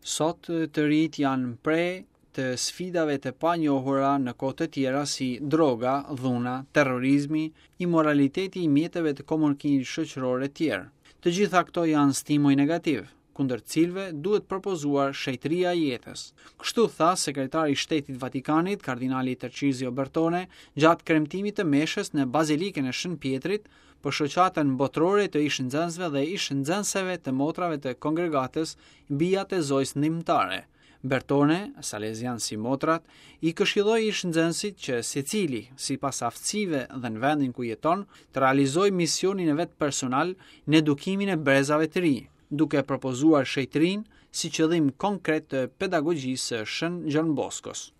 Sot të rinjtë janë pre të sfidave të panjohura në kohë të tjera si droga, dhuna, terrorizmi, imoraliteti i mjeteve të komunikimit shoqëror e tjerë. Të gjitha këto janë stimuj negativë, kundër të cilëve duhet propozuar shenjtëria e jetës. Kështu tha sekretari i Shtetit Vatikanit, kardinali Tarcizio Bertone, gjatë kremtimit të meshës në Bazilikën e Shën Pjetrit për shoqatën botërore të ish-nxënësve dhe ish-nxënëseve të motrave të kongregatës Bijat e Zojës Ndihmëtare. Bertone, salezian si motrat, i këshilloi ish-nxënësit që secili, sipas aftësive dhe në vendin ku jeton, të realizojë misionin e vet personal në edukimin e brezave të rinj, duke propozuar shenjtërinë si qëllim konkret të pedagogjisë së Shën Gjon Boskos.